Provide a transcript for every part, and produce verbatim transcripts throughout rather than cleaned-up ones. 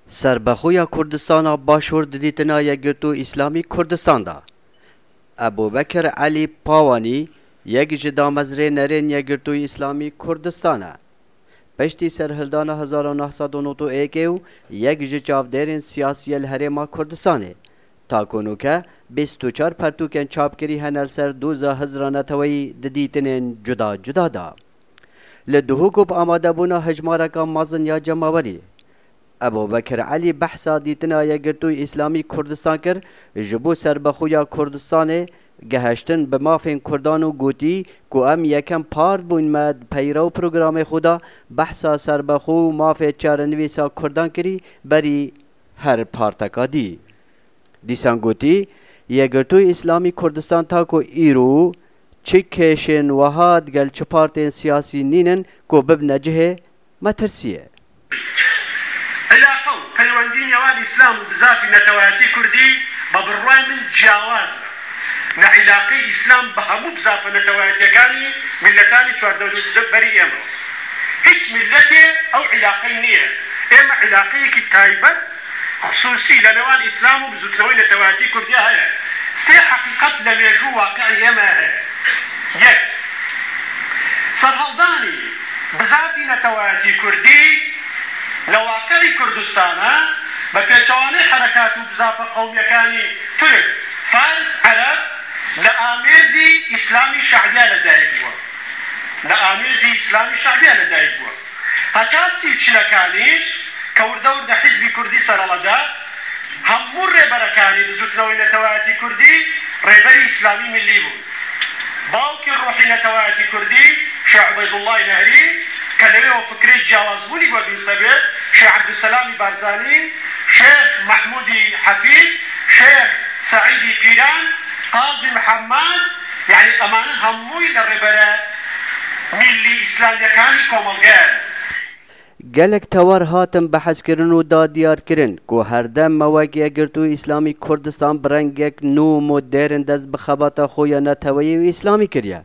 Serbexwe ya Kurdistana Başûr di dîtina Yekgirtû Îslamî Kurdistan de. Ebûbekir Elî Pawanî, yek ji damezrênerên Yekgirtû Îslamî Kurdistan e. Piştî serhildana hezar û neh sed û nod û yekê û yek ji çavdêrên siyasî yê li Herêma Kurdistanê, ta ku nûke bîst û çar pertûkên çapkirî hene li ser doza hizra neteweyî di dîtinên cuda cuda de. Li Duhok û bi amadebûna hejmareka mezin ya cemawerî, Ebûbekir Elî behsa dîtina Yekgirtûyî Îslamî Kurdistan kir, ji bo serbexweya Kurdistanê, geheştin bi mafên Kurdan û gotî ku em yekem part bûn me di peyra û programê xwe de behsa serbexwe û mafê çarenivîsa Kurdan kirî berî her parteka dî. Dîsan gotî, Yekgirtûyî Îslamî Kurdistan ta ku îro çi kêşên wiha digel çi partên siyasî nînin ku bibine cihê metirsiyê. عیلاقە و پەیوەندی نێوان ئیسلام و بزافی نەتەوایەتی کوردی بە بڕوای من جیاوازە لە عیلاقەی ئیسلام بە هەموو بزافە نەتەوایەتیەکانی میلەتانی چواردەوری ئێمە. هیچ میلەتێ ئەو عیلاقەی نییە. ئێمە عیلاقەیەکی تایبەت خصوصی لە نێوان ئیسلام و بزوتنەوەی نەتەوایەتی کوردیا هەیە. سێ حەقیقەت لە مێژوو واقعی ئێمە هەیە. یەک، سەرهەڵدانی بزافی نەتەوایەتی کوردی لە واقعی کوردستانە بە پێچەوانەی حەرەکات و بزافە قەومیەکانی تورک، فارس، عەرەب لە ئامێزی ئیسلامی شەعبیا لە دایک بووە. لە ئامێزی ئیسلامی شەعبیا لە دایک بووە. هەتا سی و چلەکانیش کە وردە وردە حیزبی کوردی سەرەڵەدا، هەموو ڕێبەرەکانی بزوتنەوەی نەتەوایەتی کوردی ڕێبەری ئیسلامی ملی بوون. باوکی ڕوحی نەتەوایەتی کوردی شێخ عوبەیدوڵڵای نەهری کە لەوێوە فکرەی جیاوازبوونی بۆ دروست دەبێت، شێخ عەبدولسەلامی بارزانی، شێخ مەحمودی حەفید، شێخ سەعیدی پیران، قازی محەممەد، یعنی ئەمانە هەمووی لە ڕێبەرە میللی ئیسلامیەکانی کۆمەڵگەیان. Gelek tewar hatin behskirin û da diyarkirin ku herdem me wek Yekgirtû Îslamî Kurdistan bi rengek nû û modern dest bi xebata xwe ya neteweyî û îslamî kiriye.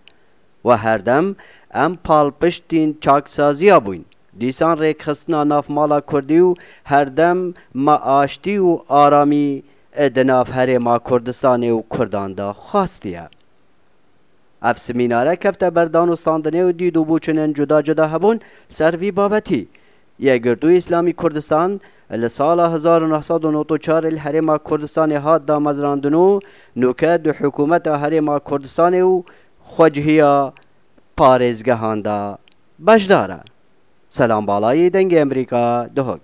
We herdem em palpiştîn çaksaziya bûyn, dîsan rêkxistina nav mala kurdî û herdem me aştî û aramî di nav Herêma Kurdistanê û Kurdan de xwastiye. Ev semînare kefte ber danûstandinê û dîd û boçûnên cuda cuda hebûn ser vî babetî. Yekgirtû Îslamî Kurdistan li sala hezar û neh sed û nod û çar li Herêma Kurdistanê hat damezrandin û nûke di hikûmeta Herêma Kurdistanê û xwecihiya parêzgehan de beşdar e. Selam Balayî, Dengê Emerîka, Duhok.